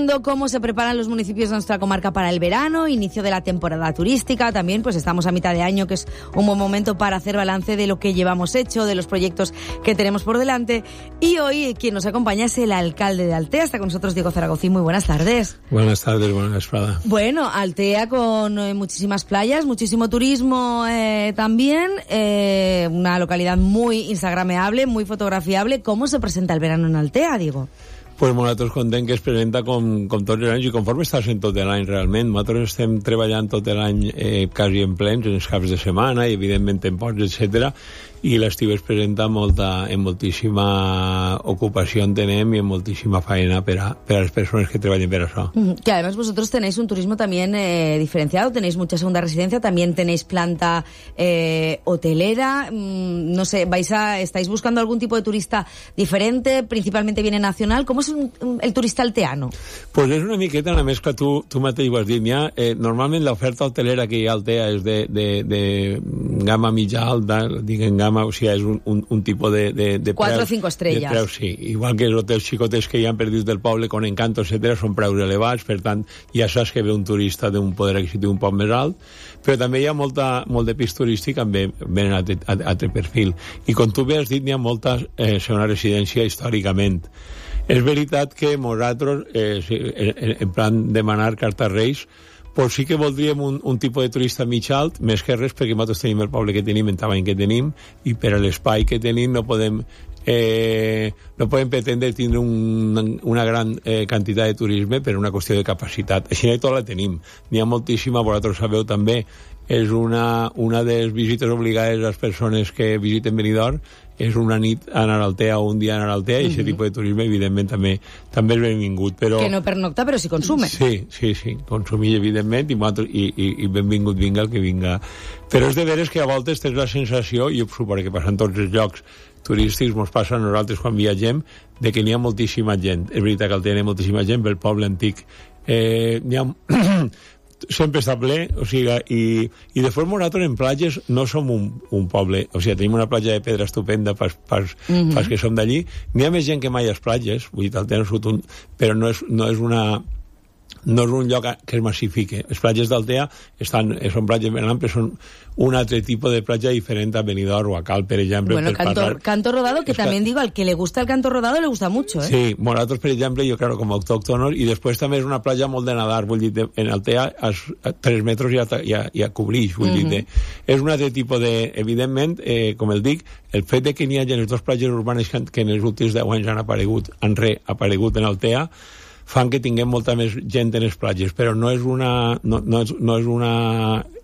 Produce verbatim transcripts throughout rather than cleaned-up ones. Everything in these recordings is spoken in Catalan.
viendo cómo se preparan los municipios de nuestra comarca para el verano, inicio de la temporada turística. También pues estamos a mitad de año, que es un buen momento para hacer balance de lo que llevamos hecho, de los proyectos que tenemos por delante. Y hoy quien nos acompaña es el alcalde de Altea. Está con nosotros Diego Zaragozín. Muy buenas tardes. Buenas tardes, buenas tardes. Bueno, Altea con eh, muchísimas playas, muchísimo turismo eh, también, eh, una localidad muy instagrameable, muy fotografiable. ¿Cómo se presenta el verano en Altea, Diego? Pues nosaltres contem que es presenta com, com tots els anys i conforme està sent tot l'any realment. Nosaltres estem treballant tot l'any eh, quasi en plens, en els caps de setmana i evidentment en pots, etcètera. I l'estiu es presenta molta, en moltíssima ocupació en tenem y en moltíssima faena per a, per a les persones que treballen per això. Mm, que además vosotros tenéis un turismo también eh, diferenciado, tenéis mucha segunda residencia, también tenéis planta eh, hotelera, mm, no sé, vais a, estáis buscando algún tipo de turista diferente, principalmente viene nacional. ¿Cómo es un, un, el turista alteano? Pues és una miqueta una mescla, tu, tu mateix ho has dit, ja, eh, normalment l'oferta hotelera que hi ha a Altea és de, de, de gamma mitja alta, diguem gamma, o sigui, és un, un, un tipus de, de, de quatre o cinco estrelles. Preus, sí. Igual que els hotels xicotes que hi ha perdits del poble, con Encanto, etcètera, són preus elevats, per tant, ja saps que ve un turista d'un poder adquisitiu un poc més alt, però també hi ha molta, molt de pis turístic amb ben altre, altre perfil. I com tu bé has dit, hi ha molta eh, segona residència històricament. És veritat que nosaltres, eh, en, en plan demanar carta Reis, pues sí que voldríem un, un tipus de turista mig alt, més que res perquè nosaltres tenim el poble que tenim, el tamany que tenim, i per a l'espai que tenim no podem, eh, no podem pretendre tindre un, una gran eh, quantitat de turisme per una qüestió de capacitat. Així no tot la tenim. N'hi ha moltíssima, vosaltres sabeu també, és una, una de les visites obligades a les persones que visiten Benidorm, és una nit anar a Altea o un dia anar a Altea, i aquest uh-huh. tipus de turisme, evidentment, també també és benvingut. Però... Que no pernocta, però sí consume. Sí, sí, sí, consumir, evidentment, i, i, i, i benvingut vinga el que vinga. Però és de veres que a voltes tens la sensació, i ho suposo que passa en tots els llocs turístics, ens passa a nosaltres quan viatgem, de que n'hi ha moltíssima gent. És veritat que Altea n'hi ha moltíssima gent, pel poble antic eh, n'hi ha... sempre està ple, o sigui, i, i de forma nosaltres en platges no som un, un poble, o sigui, tenim una platja de pedra estupenda pas, pas, mm-hmm. pas que som d'allí, n'hi ha més gent que mai a les platges, vull dir, Altea no un, però no és, no és una no és un lloc que es massifique. Les platges d'Altea estan, són platges ben amples, són un altre tipus de platja diferent a Benidorm o a Cal, per exemple. Bueno, per canto, parlar... canto rodado, que Está... también digo, al que le gusta el canto rodado le gusta mucho, ¿eh? Sí, nosaltres, per exemple, jo, claro, com a autòctonos, i després també és una platja molt de nadar, vull dir, en Altea a tres metres ja, ja, ja cobrix, vull mm-hmm. dir, de... és un altre tipus de... Evidentment, eh, com el dic, el fet de que n'hi hagi les dues platges urbanes que, que en els últims deu anys han aparegut, han reaparegut en Altea, fan que tinguem molta més gent en les platges, però no és una... No, no és, no és una...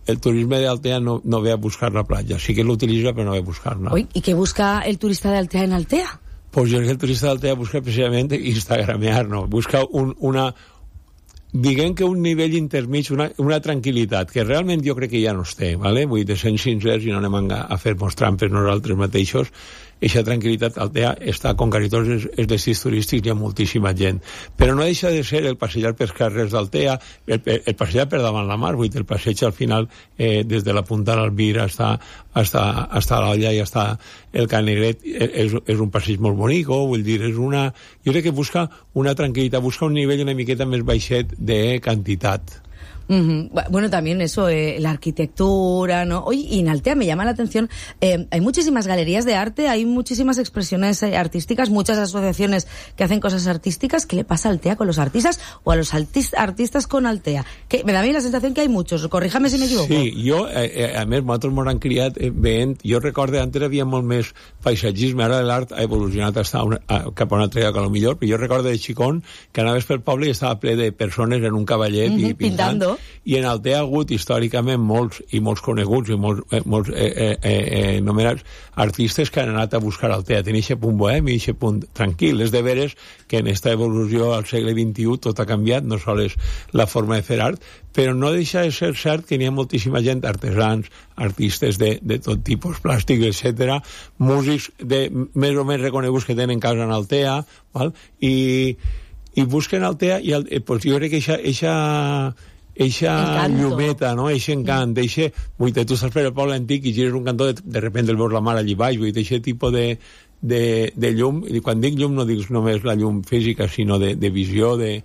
El turisme d'Altea no, no ve a buscar la platja, sí que l'utilitza però no ve a buscar-la. Uy, ¿y qué busca el turista de Altea en Altea? Pues yo creo que el turista de Altea busca precisamente instagramear, no? Busca un, una... diguem que un nivell intermig, una, una tranquil·litat, que realment jo crec que ja no es té, ¿vale? Vull dir, de sent sincers i no anem a, a fer-nos trampes nosaltres mateixos. Eixa tranquil·litat Altea està, com quasi tots els, els destins turístics, hi ha moltíssima gent. Però no deixa de ser el passejar pels carrers d'Altea, el, el, el passejar per davant la mar, vull dir, el passeig al final, eh, des de la Punta d'Albir hasta, hasta, hasta l'Olla i hasta el Canigret, és, és un passeig molt bonic, vull dir, és una... Jo crec que busca una tranquil·litat, busca un nivell una miqueta més baixet de quantitat. Uh-huh. Bueno, también eso, eh, la arquitectura, ¿no? Oye, y en Altea me llama la atención, eh, hay muchísimas galerías de arte, hay muchísimas expresiones eh, artísticas, muchas asociaciones que hacen cosas artísticas. ¿Qué le pasa a Altea con los artistas o a los artis- artistas con Altea? Que me da a mí la sensación que hay muchos, corríjame si me equivoco. Sí, jo, eh, a més, nosaltres m'ho han criat eh, veient, jo recordo, antes hi havia molt més paisatgisme, ara l'art ha evolucionat hasta una, a, cap a una altra lloc a lo millor, però jo recordo de xicón que anaves pel poble i estava ple de persones en un cavallet uh-huh, i pintant. Pintando. I en Altea ha hagut històricament molts i molts coneguts i molts, eh, molts eh, eh, eh, nomenats artistes que han anat a buscar Altea. Tenia aquest punt bohem i aquest punt tranquil. És de veres que en aquesta evolució al segle vint-i-u tot ha canviat, no sols la forma de fer art, però no deixa de ser cert que n'hi ha moltíssima gent, artesans, artistes de, de tot tipus, plàstics, etcètera, músics de més o menys reconeguts que tenen casa en Altea, val? I, i busquen Altea i el, eh, pues jo crec que eixa, eixa eixa llumeta, no? Eixe encant, eixe... Vull dir, tu estàs per el poble antic i gires un cantó, de, de repente el veus la mar allí baix, vull dir, eixe tipus de, de, de llum, i quan dic llum no dic només la llum física, sinó de, de visió, de,